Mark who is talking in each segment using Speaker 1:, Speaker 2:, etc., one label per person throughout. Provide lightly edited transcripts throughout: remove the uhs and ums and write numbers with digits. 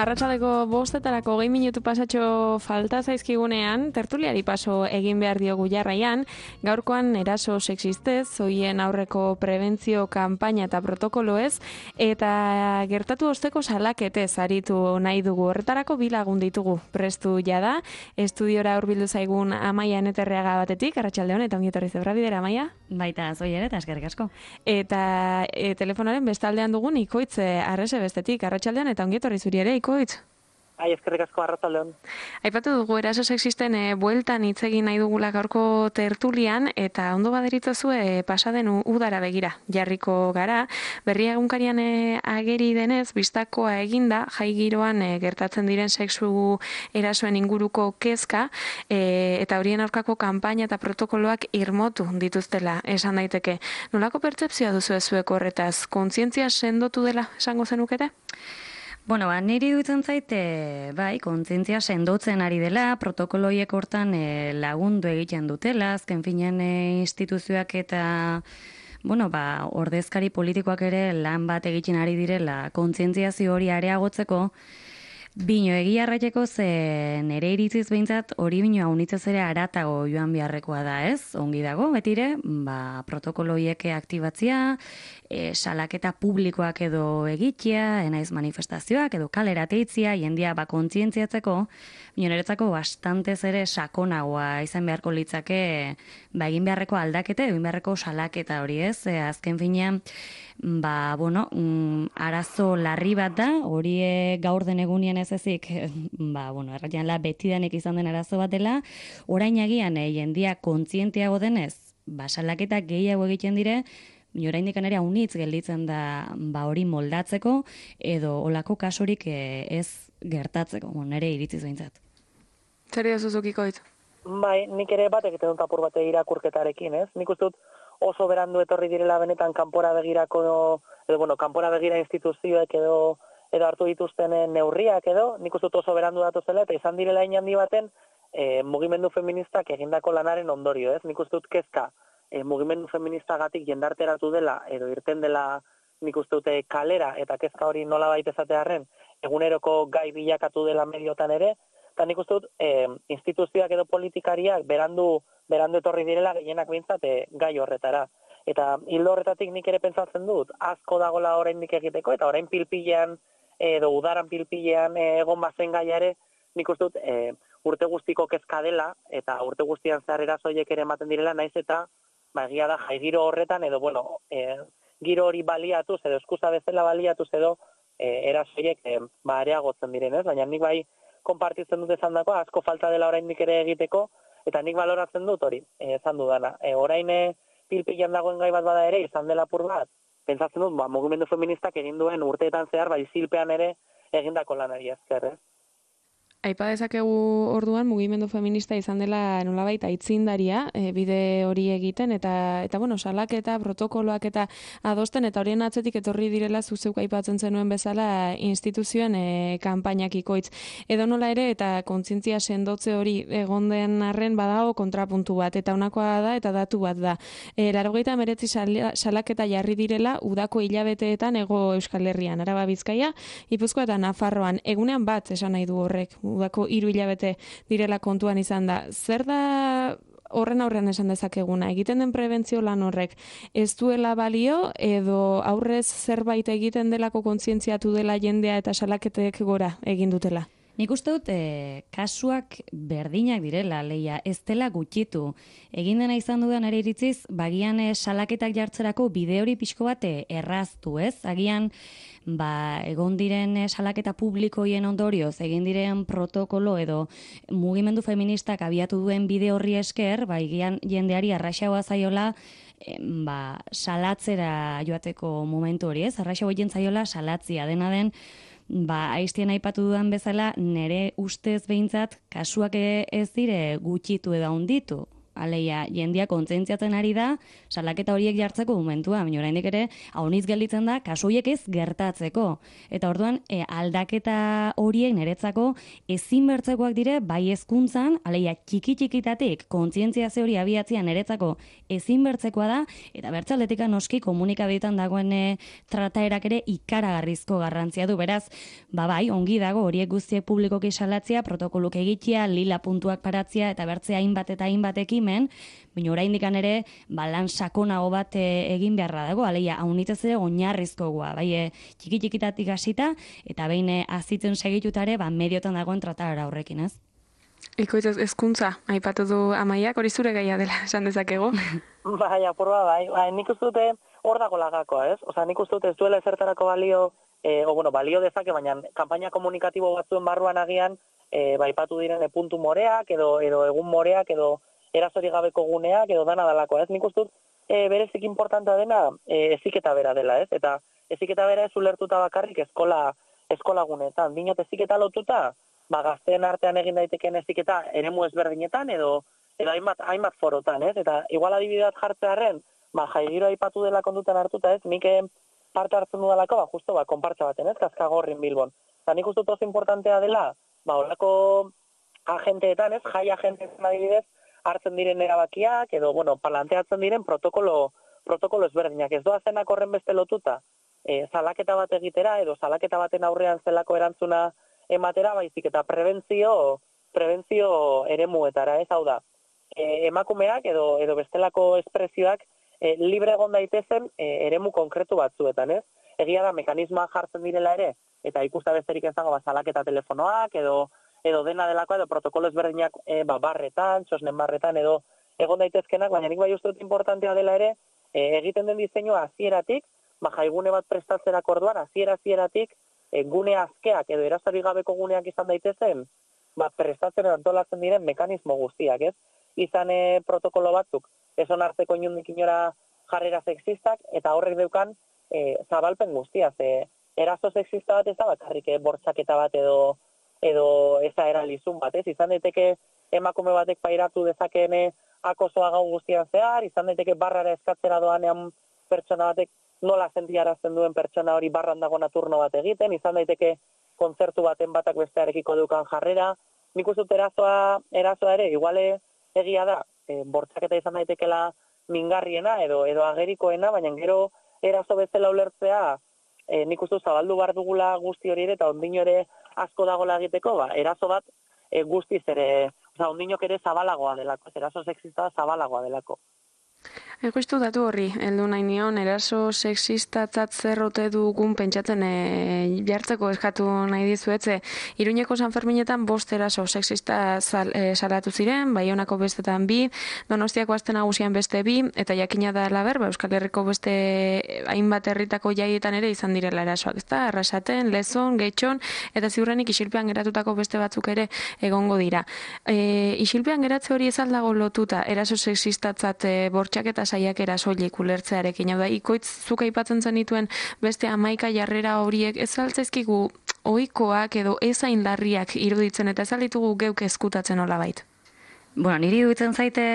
Speaker 1: Arratsaldeko 5:00 minutu pasatxo falta zaizkigunean, tertuliari paso egin behar diogu jarraian, gaurkoan eraso sexistez, hoien aurreko prebentzio kanpaina eta protokoloez, eta gertatu osteko salaketez aritu nahi dugu. Horretarako bi lagun ditugu prestu jada, estudiora hurbildu zaigun Amaia Eneterreaga batetik, arratsaldeon eta ongi etorri zebra bidera, Amaia.
Speaker 2: Baita, zoi ere, eta eskerrik asko.
Speaker 1: Eta telefonaren bestaldean dugun Ikoitz Arrese bestetik, arratsaldeon eta ongi etorri zuri ere, Ikoitz.
Speaker 3: Eskerrik asko, arratsaldeon.
Speaker 1: Aipatu dugu eraso sexisten bueltan hitz egin nahi dugula gaurko tertulian, eta ondo baderituzue pasaden udara begira jarriko gara. Berria egunkarian ageri denez, bistakoa eginda, jai giroan gertatzen diren sexu erasoen inguruko kezka, eta horien aurkako kanpaina eta protokoloak irmotu dituztela, esan daiteke. Nolako pertzepzioa duzu zuek horretaz? Kontzientzia sendotu dela esango zenukete?
Speaker 2: Bueno, niri dutzen zaite, bai, kontzientzia sendotzen ari dela, protokoloiek hortan lagundu egiten dutela, azken finean instituzioak eta ordezkari politikoak ere lan bat egiten ari direla kontzientziazio hori areagotzeko. Bino egia arraiteko ze nere iritziz behintzat hori bino haunitzez ere aratago joan beharrekoa da, ez? Ongi dago, betire, protokoloiek aktibatzia, salaketa publikoak edo egitea, enaiz manifestazioak edo kalera teitzia, jendia kontzientziatzeko, bino niretzako bastantez ere sakonagoa izan beharko litzake egin beharreko aldakete, egin beharreko salaketa hori, ez? Azken finean, arazo larri bat da, hori gaur den egunien ez ezik, erratian betidanek izan den arazo bat dela, orain agian jendia kontzienteago denez, salaketak gehiago egiten dire, oraindik ere haunitz gelditzen da hori moldatzeko, edo olako kasurik ez gertatzeko, nire iritziz behintzat.
Speaker 1: Zer dizuzukiko ditu?
Speaker 3: Bai, nik ere batek egiten dut apur bate irakurketarekin, ez? Nik uste dut oso berandu etorri direla benetan kanpora begirako, kanpora begira instituzioek edo hartu dituzten neurriak edo, nik uste dut oso berandu datuzela, eta izan direla inhandi baten mugimendu feministak egindako lanaren ondorio, ez? Nik uste dut kezka mugimendu feministagatik jendarteratu dela, edo irten dela nik uste dute kalera, eta kezka hori nola baita esatearren, eguneroko gai bilakatu dela mediotan ere, eta nik uste dut instituzioak edo politikariak berandu etorri direla gehienak behintzat gai horretara. Eta hildo horretatik nik ere pentsatzen dut, asko dagola oraindik egiteko, eta orain pilpilean edo udaran pilpilean egon bazen gaiare, nik uste dut urte guztiko kezka dela, eta urte guztian zehar erasoiek ere ematen direla, naiz eta egia da jai giro horretan, edo giro hori baliatuz, edo eskusa bezala baliatuz, edo erasoiek areagotzen direnez, baina nik bai konpartitzen dut esan dako, asko falta dela oraindik ere egiteko, eta nik baloratzen dut hori, esan dudana. Orain pilpilan dagoen gai bat bada ere, izan dela apur bat, pentsatzen dut, mugimendu feministak egin duen urteetan zehar, zilpean ere egindako lanari esker, ez?
Speaker 1: Aipa dezakegu orduan mugimendu feminista izan dela nolabait aitzindaria bide hori egiten eta salaketa, protokoloak eta adosten eta horien atzetik etorri direla zuzeuk aipatzen zenuen bezala instituzioen kanpainak Ikoitz. Edo nola ere eta kontzientzia sendotze hori egon den arren badago kontrapuntu bat eta honakoa da eta datu bat da. 89 salaketa jarri direla udako hilabeteetan Hego Euskal Herrian, Araba, Bizkaia, Gipuzkoa eta Nafarroan. Egunean bat esan nahi du horrek. Udako 3 hilabete direla kontuan izan da. Zer da horren aurrean esan dezakeguna? Egiten den prebentzio lan horrek ez duela balio edo aurrez zerbait egiten delako kontzientziatu dela jendea eta salaketek gora egin dutela?
Speaker 2: Nik uste dut kasuak berdinak direla, leia, ez dela gutxitu. Egin dena izan dudan ere iritziz, bagian salaketak jartzerako bide hori pixko bat erraztu, ez? Agian, egon diren salaketa publikoien ondorioz, egin diren protokolo edo mugimendu feministak abiatu duen bide horri esker, egian jendeari arraxagoa zaiola, salatzera joateko momentu hori, ez? Arraxagoa egin zaiola salatzia, dena den, aiztien aipatu dudan bezala, nere ustez behintzat, kasuak ez dire gutxitu edo handitu. aleia, jendia kontzientziatzen ari da, salaketa horiek jartzeko momentua, baina oraindik ere, hauniz gelditzen da, kasu horiek ez gertatzeko. Eta orduan, aldaketa horiek niretzako ezin bertzekoak dire, bai hezkuntzan, aleia, txiki-txikitatik, kontzientziazio hori abiatzea niretzako ezin bertzekoa da, eta bertzaletika noski komunikabideetan dagoen trataerak ere ikaragarrizko garrantzia du. Beraz, bai, ongi dago horiek guztiek publikoki salatzea, protokoluk egitea, lila puntuak paratzea, eta bertzea hainbat eta hainbat ekimen, baina oraindik ere lan sakonago bat egin beharra dago, aleia, haunitez ere oinarrizkoa, bai, txiki-txikitatik hasita, eta behin azitzen segitutare, mediotan dagoen tratara horrekin, ez?
Speaker 1: Ikoitz hezkuntza, aipatu du Amaiak, hori zure gaia dela, esan dezakego.
Speaker 3: Bai, apurba, bai, nik uste dute hor dago lagakoa, ez? Osa, nik uste dute ez duela ezertarako balio, balio dezake, baina kanpaina komunikatibo batzuen barruan agian, aipatu diren puntu moreak, edo egun moreak, edo erazori gabeko guneak, edo dana dalakoa, ez? Nik uste dut, berezik importantea dena, eziketa bera dela, ez? Eta eziketa bera ez ulertuta bakarrik eskola gunetan. Dinot eziketa lotuta, gazteen artean egin daitekeen eziketa eremu ezberdinetan, edo hainbat forotan, ez? Eta igual adibideat jartzearen, jaigiro aipatu dela kondutan hartuta, ez? Nik parte hartzen dudalako, justo, konpartza baten, ez? Kaskagorrin Bilbon. Eta nik uste dut oso importantea dela, holako agenteetan, ez? Jai agenteetan adibidez, hartzen diren erabakiak, edo, planteatzen diren protokolo ezberdinak. Ez doazenak horren beste lotuta, salaketa bat egitera, edo salaketa baten aurrean zelako erantzuna ematera, baizik eta prebentzio eremuetara, ez? Hau da, emakumeak edo bestelako espresioak libre egon daitezen eremu konkretu batzuetan, ez? Egia da, mekanismoak jartzen direla ere, eta ikusta besterik ez dago salaketa telefonoak, edo dena delakoa, edo protokolo ezberdinak barretan, txosnen barretan, edo egon daitezkenak, baina nik bai uste dut importantea dela ere, egiten den diseinua hasieratik, jaigune bat prestatzerako orduan, hasieratik, gune azkeak edo erazari gabeko guneak izan daitezen, prestatzen antolatzen diren mekanismo guztiak, ez? Izan protokolo batzuk, ez onartzeko inundik inora jarrera sexistak, eta horrek deukan zabalpen guztia, eraso sexista bat ez da bakarrik bortxaketa bat edo eza eralizun bat, ez? Izan daiteke emakume batek pairatu dezakeen akosoa gau guztian zehar, izan daiteke barrara eskatzera doanean pertsona batek nola sentiarazten duen pertsona hori barran dagoena turno bat egiten, izan daiteke kontzertu baten batak bestearekiko dukan jarrera. Nik uste dut erasoa ere, iguale egia da, bortxaketa izan daitekela mingarriena edo agerikoena, baina gero eraso bezala ulertzea, nik uste dut zabaldu bar dugula guzti hori ere, eta ondino ere asko dagoela egiteko, eraso bat guztiz ere, ondinok ere zabalagoa delako, eraso sexista zabalagoa delako.
Speaker 1: Ikustu datu horri, heldu nahi nion, eraso sexistatzat zerrote dugun pentsatzen jartzeko eskatu nahi dizuetze. Iruñeko San Ferminetan 5 eraso sexista salatu ziren, Baionako bestetan 2, Donostiako Aste Nagusian beste 2, eta jakina da laber, Euskal Herriko beste hainbat herritako jaietan ere izan direla erasoak, ezta? Arrasaten, Lezon, Getxon, eta ziurrenik isilpean geratutako beste batzuk ere egongo dira. Isilpean geratze hori ez aldago lotuta, eraso sexistatzat bortxaketa saiakera soilik ulertzearekin. Hau da, Ikoitz zuk aipatzen zenituen beste 11 jarrera horiek ez altzaizkigu ohikoak edo ezain larriak iruditzen eta ez alditugu geuk eskutatzen nolabait.
Speaker 2: Niri iruditzen zaite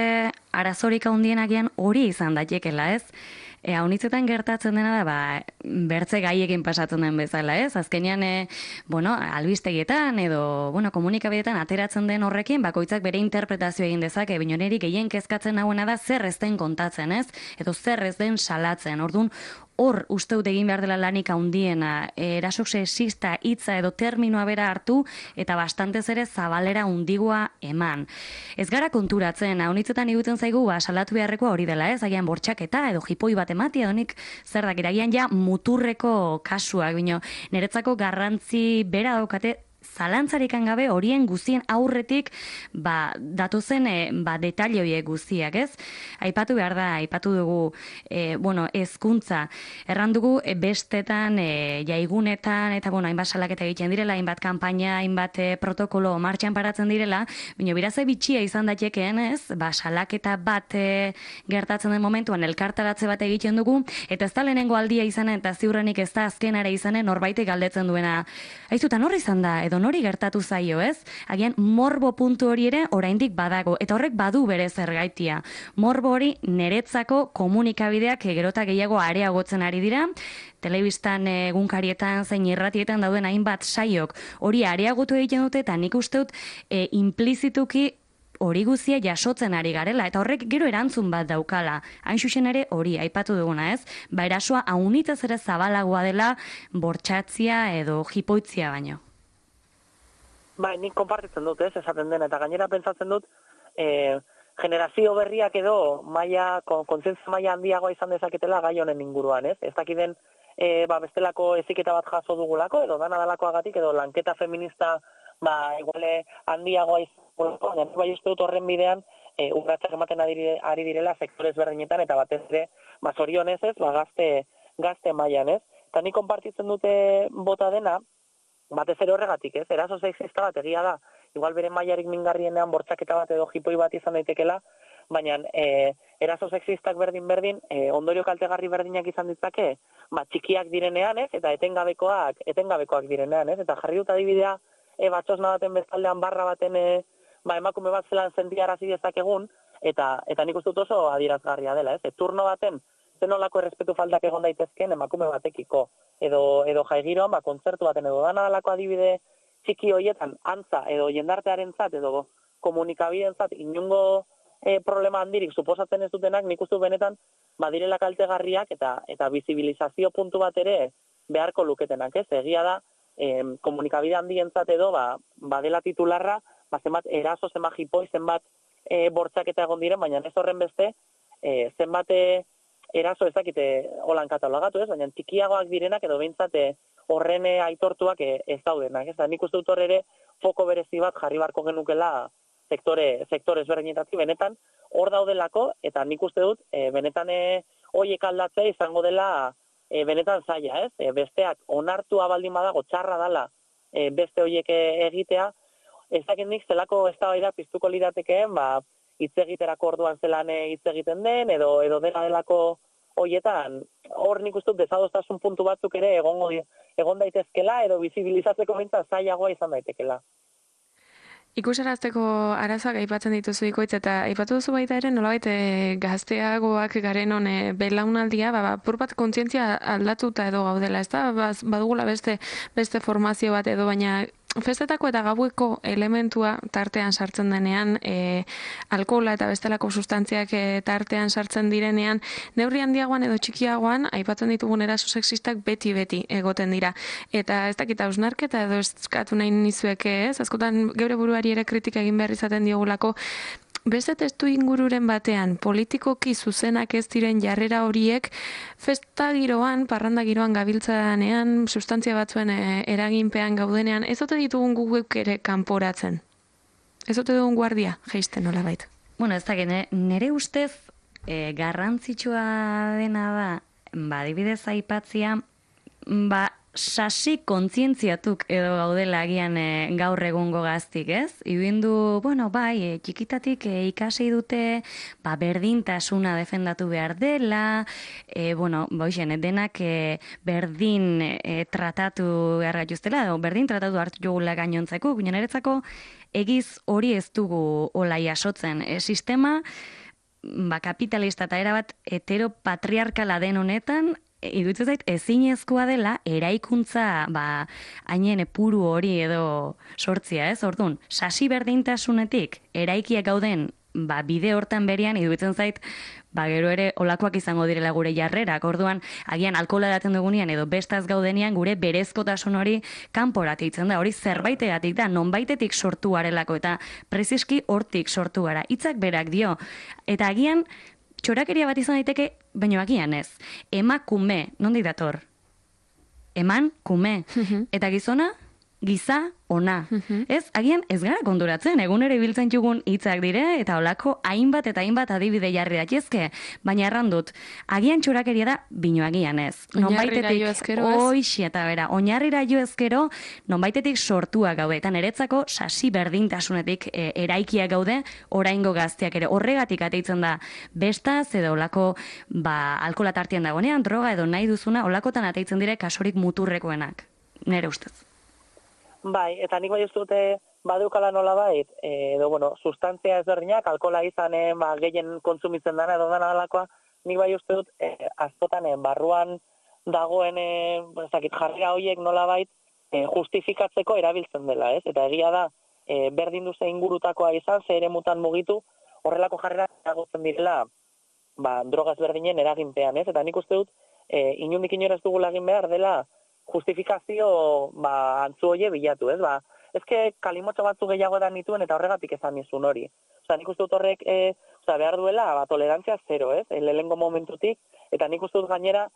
Speaker 2: arazorik handienagian hori izan daitekela, ez? Haunitzetan gertatzen dena da, bertze gaiekin pasatzen den bezala, ez? Azkenean, albistegietan edo, komunikabideetan ateratzen den horrekin, bakoitzak bere interpretazio egin dezake, baina niri gehien kezkatzen nagoena da zer ez den kontatzen, ez? Edo zer ez den salatzen. Orduan, hor uste dut egin behar dela lanik handiena, eraso sexista hitza edo terminoa bera hartu eta bastantez ere zabalera hundigoa eman. Ez gara konturatzen, haunitzetan iguten zaigu, salatu beharrekoa hori dela, ez? Agian bortxaketa edo jipoi bat ematia, edonik zer dakit, agian ja muturreko kasuak, bino, niretzako garrantzi bera daukate, zalantzarikan gabe horien guztien aurretik datozen detalle horiek guztiak, ez? Aipatu behar da, aipatu dugu hezkuntza. Erran dugu bestetan, jaigunetan, eta hainbat salaketa egiten direla, hainbat kanpaina, hainbat protokolo martxan paratzen direla, baina biraze bitxia izan datekeen, ez? Salaketa bat gertatzen den momentuan elkartaratze bat egiten dugu, eta ez da lehenengo aldia izanen, eta ziurrenik ez da azkenara izanen norbaitek galdetzen duena. Aizutan horri izan da, edo nori gertatu zaio, ez? Agian morbo puntu hori ere oraindik badago, eta horrek badu bere zergaitia. Morbo hori niretzako komunikabideak gerota gehiago areagotzen ari dira, telebistan, egunkarietan, zein irratietan dauden hainbat saiok hori areagotu egiten dute, eta nik uste dut implizituki hori guzia jasotzen ari garela, eta horrek gero erantzun bat daukala. Hain xuxen ere hori aipatu duguna, ez? Erasoa haunitaz ere zabalagoa dela bortxatzia edo jipoitzia baino.
Speaker 3: Nik konpartitzen dut, ez, esaten den, eta gainera pentsatzen dut, generazio berriak edo kontzientzia maila handiagoa izan dezaketela gai honen inguruan, ez? Ez dakiden bestelako heziketa bat jaso dugulako, edo dana dalakoagatik, edo lanketa feminista iguale handiagoa izango, baina bai uste dut horren bidean urratsak ematen ari direla sektore ezberdinetan, eta batez ere zorionez ez, gazte mailan, ez? Eta nik konpartitzen dute bota dena, batez ere horregatik, ez? Eraso sexista bat egia da, igual bere mailarik mingarrienean bortxaketa bat edo jipoi bat izan daitekela, baina eraso sexistak berdin, ondorio kaltegarri berdinak izan ditzake, txikiak direnean, ez? Eta etengabekoak direnean, ez? Eta jarri dut adibidea, batxosna baten bezaldean barra baten emakume bat zelan sentiarazi dezakegun, eta nik uste dut oso adierazgarria dela, ez? Turno baten, zenolako errespetu faltak egon daitezken emakume batekiko, edo jaigiroan, kontzertu baten edo dana dalako adibide txiki horietan, antza edo jendartearentzat edo komunikabidentzat inungo problema handirik suposatzen ez dutenak, nik uste benetan badirela kaltegarriak eta bizibilizazio puntu bat ere beharko luketenak, ez? Egia da, komunikabide handientzat edo badela titularra, zenbat eraso, zenbat jipoi, zenbat bortxaketa egon diren, baina ez horren beste, zenbat eraso ezakite holan katalogatu, ez? Baina txikiagoak direnak edo behintzat horren aitortuak ez daudenak, ez? Nik uste dut hor ere foko berezi bat jarri barko genukela sektore ezberdinetatik, benetan hor daudelako, eta nik uste dut benetan horiek aldatzea izango dela benetan zaila, ez? Besteak onartua baldin badago txarra dala beste horiek egitea, ez dakit nik zelako eztabaida piztuko liratekeen, hitz egiterako orduan zelan hitz egiten den, edo dena delako horietan, hor nik uste dut desadostasun puntu batzuk ere egon daitezkela, edo bizibilizatzeko behintzat zailagoa izan daitekela.
Speaker 1: Ikusarazteko arazoak aipatzen dituzu ikoitz, eta aipatu duzu baita ere nolabait gazteagoak garen belaunaldia, apur bat kontzientzia aldatuta edo gaudela, ez da? Badugula beste formazio bat edo, baina festetako eta gaueko elementua tartean sartzen denean, alkohola eta bestelako sustantziak tartean sartzen direnean, neurri handiagoan edo txikiagoan, aipatzen ditugun eraso sexistak beti egoten dira. Eta ez dakit hausnarketa edo eskatu nahi nizueke, ez? Askotan geure buruari ere kritika egin behar izaten diogulako, beste testu ingururen batean, politikoki zuzenak ez diren jarrera horiek, festa giroan, parranda giroan gabiltzanean, sustantzia batzuen eraginpean gaudenean, ez ote ditugun guguk ere kanporatzen? Ez ote dugun guardia, jeisten nolabait?
Speaker 2: Bueno, ez da, nire ustez garrantzitsua dena da, adibidez aipatzia, sasi kontzientziatuk edo gaudela agian gaur egungo gaztik, ez? Ibindu, txikitatik ikasi dute, berdintasuna defendatu behar dela, denak berdin tratatu behar gaituztela, edo berdin tratatu hartu jogula gainontzeko, baina niretzako egiz hori ez dugu hola jasotzen. Sistema, kapitalista eta erabat heteropatriarkala den honetan, iruditzen zait ezinezkoa dela eraikuntza hainen puru hori edo sortzia, ez? Orduan, sasi berdintasunetik eraikiak gauden bide hortan berian iruditzen zait gero ere olakoak izango direla gure jarrerak. Orduan, agian alkohola daten dugunean edo bestaz gaudenean gure berezkotasun hori kanporatzen da. Hori zerbaitegatik da, nonbaitetik sortu garelako eta preziski hortik sortu gara. Hitzak berak dio. Eta agian txorakeria bat izan daiteke, baina agian ez. Emakume, nondi dator? Eman, kume. Eta gizona, giza, ona. Ez, agian ez gara konturatzen, egunero ibiltzen jugun hitzak dire, eta olako hainbat eta hainbat adibide jarri datezke, baina errandut, agian txorakeria da, bino agian ez.
Speaker 1: Oinarrira jo ezkero ez?
Speaker 2: Oixi eta bera, oinarrira jo ezkero, nonbaitetik sortua gaude, eta niretzako sasi berdintasunetik eraikiak gaude, oraingo gazteak ere. Horregatik ateitzen da, bestaz edo olako, alkola tartian dagonean, droga edo nahi duzuna, olakotan ateitzen dire kasorik muturrekoenak. Nere ustez.
Speaker 3: Bai, eta nik bai ez dute badeukala nolabait, edo, bueno, sustantzia ezberdinak, alkohola izanen, gehien kontsumitzen dana edo dana dalakoa, nik bai uste dut, askotan, barruan dagoen, jarrera horiek nolabait, justifikatzeko erabiltzen dela, ez? Eta egia da, berdin duze ingurutakoa izan, ze eremutan mugitu, horrelako jarrera eragotzen direla, droga ezberdinen eraginpean, ez? Eta nik uste dut, inundik inora ez dugula egin behar dela, justifikazio antzu hoie bilatu, ez? Ezke kalimotxo batzu gehiago edan nituen eta horregatik esan nizun hori. Nik uste dut horrek behar duela tolerantzia zero, ez? Lehengo momentutik, eta nik uste dut gainera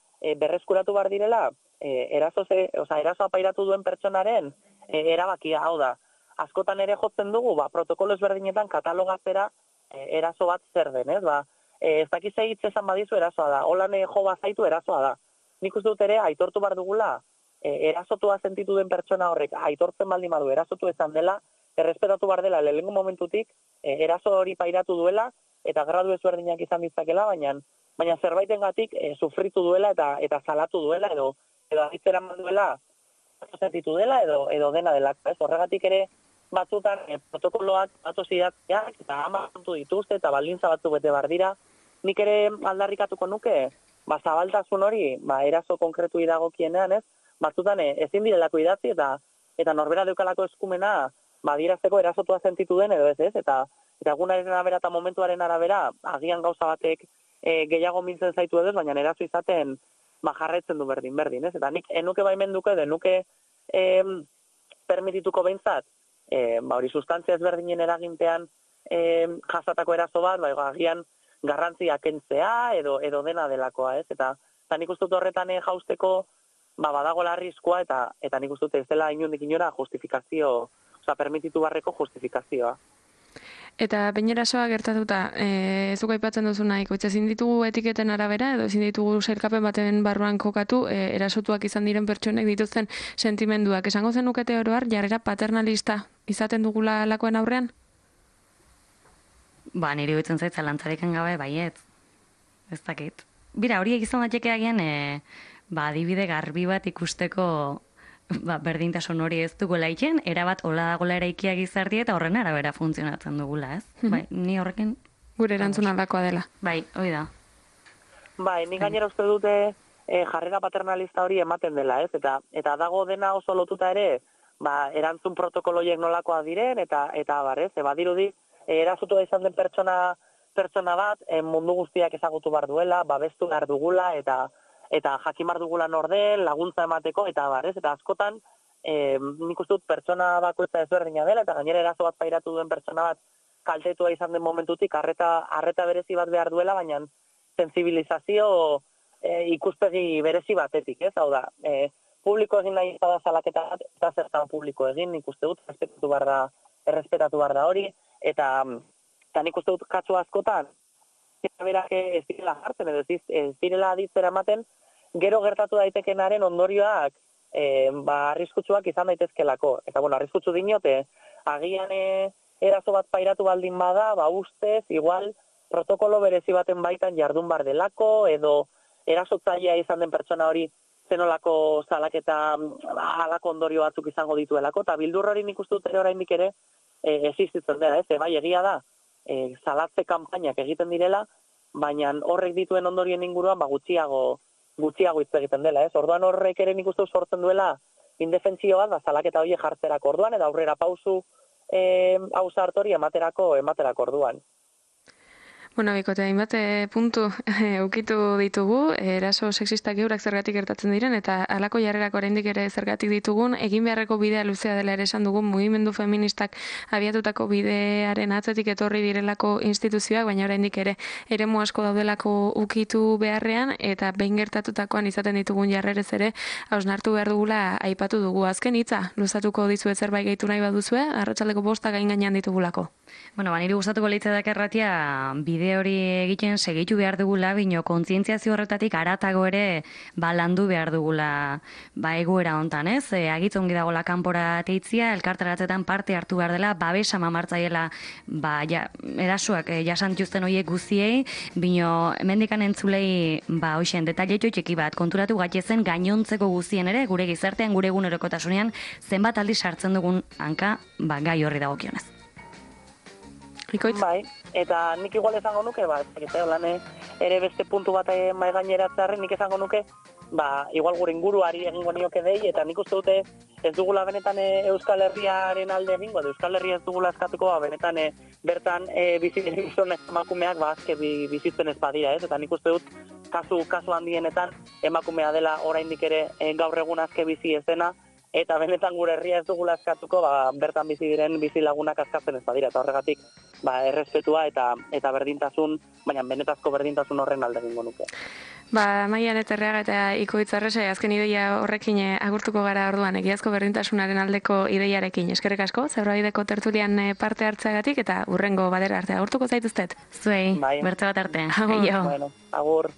Speaker 3: berreskuratu behar direla erasoa pairatu duen pertsonaren erabakia, hau da. Askotan ere jotzen dugu, protokolo ezberdinetan katalogatzera eraso bat zer den, ez? Ez dakiz hitz esan badizu erasoa da, holan jo bazaitu erasoa da. Nik uste dut ere aitortu behar dugula erasotua sentitu den pertsona horrek aitortzen baldin badu erasotu izan dela, errespetatu behar dela lehengo momentutik eraso hori pairatu duela eta gradu ezberdinak izan ditzakela, baina zerbaitengatik sufritu duela eta salatu duela edo aditzera duela sentitu dela edo dena dela. Horregatik ere batzutan protokoloak batosidatzeak eta kontu dituzte eta baldintza batzuk bete behar dira. Nik ere aldarrikatuko nuke, zabaltasun hori, eraso konkretu iragokienean, ez? Batzutan ezin direlako idatzi eta norbera deukalako eskumena adierazteko erasotua sentitu den edo ez, eta egunaren arabera eta momentuaren arabera agian gauza batek gehiago mintzen zaitu edo, baina eraso izaten jarraitzen du berdin, ez? Eta nik enuke baimenduko edo enuke permitituko behintzat, hori sustantzia ezberdinen eraginpean jasatako eraso bat, agian garrantzia kentzea edo dena delakoa, ez? Eta nik uste dut horretan jausteko badagoela arriskua eta nik uste dut ez dela inundik inora justifikazio, permititu barreko justifikazioa.
Speaker 1: Eta behin erasoa gertatuta, zuk aipatzen duzu nahiko, ezin ditugu etiketen arabera edo ezin ditugu sailkapen baten barruan kokatu erasotuak izan diren pertsonek dituzten sentimenduak. Esango zenukete oro har jarrera paternalista izaten dugula lakoen aurrean?
Speaker 2: Niri bitzen zait zalantzarekin gabe baiet. Ez dakit. Bira, hori egizan daiteke agian, adibide garbi bat ikusteko berdintasun hori ez dugula iken, erabat hola dagoela eraikia gizarti eta horren arabera funtzionatzen dugula, ez? Ni horrekin...
Speaker 1: Gure erantzun aldakoa dela.
Speaker 2: Hoi da.
Speaker 3: Ni gainera uste dute jarrera paternalista hori ematen dela, ez? Eta dago dena oso lotuta ere, erantzun protokoloiek nolakoa diren, eta ez? Badirudi, erasotua izan den pertsona bat, mundu guztiak ezagutu behar duela, babestu behar dugula, eta jakin behar dugula norden, laguntza emateko, eta ez? Eta askotan, nik uste dut pertsona bakoitza ezberdina dela, eta gainera eraso bat pairatu duen pertsona bat kaltetua izan den momentutik, arreta berezi bat behar duela, baina sensibilizazio ikuspegi berezi batetik, ez? Hau da, publiko egin nahi da salaketa bat, eta zertan publiko egin, nik uste dut, errespetatu behar da hori, eta nik uste dut katsu askotan, eta berak ez direla jartzen, edo ez direla aditzera ematen, gero gertatu daitekenaren ondorioak arriskutsuak izan daitezkelako. Eta, arriskutsu dinote, agian eraso bat pairatu baldin bada, ustez, igual, protokolo berezi baten baitan jardun bar delako, edo erasotzailea izan den pertsona hori zenolako salaketa halako ondorio batzuk izango dituelako, eta bildur hori nik uste dut ere oraindik ere existitzen dela, ez? Bai, egia da, salatze kanpainak egiten direla, baina horrek dituen ondorien inguruan gutxiago hitz egiten dela, ez? Orduan horrek ere nik uste sortzen duela indefentsio bat, salaketa horiek jartzerako orduan, eta aurrera pausu hartori ematerako orduan.
Speaker 1: Bikote, hainbat puntu ukitu ditugu, eraso sexistak eurak zergatik gertatzen diren, eta halako jarrerak oraindik ere zergatik ditugun, egin beharreko bidea luzea dela ere esan dugun, mugimendu feministak abiatutako bidearen atzetik etorri direlako instituzioak, baina oraindik ere eremu asko daudelako ukitu beharrean, eta behin gertatutakoan izaten ditugun jarrerez ere, hausnartu behar dugula aipatu dugu. Azken hitza, luzatuko dizuet zerbait gehitu nahi baduzue, arratsaldeko 5 gain gainean ditugulako.
Speaker 2: Bueno, niri gustatuko litzaidak erratia bide hori egiten segitu behar dugula, bino kontzientziazio horretatik aratago ere landu behar dugula egoera hontan, ez? Agitz ongi dagoela kanpora teitzia, elkarteratzetan parte hartu behar dela, babesa mamartzaiela erasuak jasantuzten horiek guziei, bino hemendikan entzulei hoxen detailetxo txiki bat konturatu gaitezen gainontzeko guzien ere, gure gizartean, gure egunerokotasunean zenbat aldiz sartzen dugun hanka gai horri dagokionez.
Speaker 1: Ikoitz?
Speaker 3: Bai, eta nik igual esango nuke, ere beste puntu bat mai gaineratzearren, nik esango nuke, igual gure inguruari egingo nioke dei, eta nik uste dute ez dugula benetan Euskal Herriaren alde egingo, Euskal Herria ez dugula eskatuko, benetan bertan bizitzen emakumeak azke bizitzen ez badira, ez? Eta nik uste dut kasu handienetan emakumea dela oraindik ere gaur egun azke bizi ez dena, eta benetan gure herria ez dugula askatuko, bertan bizi diren bizi lagunak askatzen ez badira, eta horregatik errespetua eta berdintasun, baina benetazko berdintasun horren alde egingo nuke.
Speaker 1: Maian Eterreaga eta Ikoitz Arrese, azken ideia horrekin agurtuko gara orduan, egiazko berdintasunaren aldeko ideiarekin. Eskerrik asko, Zebrabideko tertulian parte hartzeagatik, eta urrengo badera arte agurtuko zaituztet.
Speaker 2: Zuei, bertze bat arte.
Speaker 1: Agur.
Speaker 3: Bueno, agur.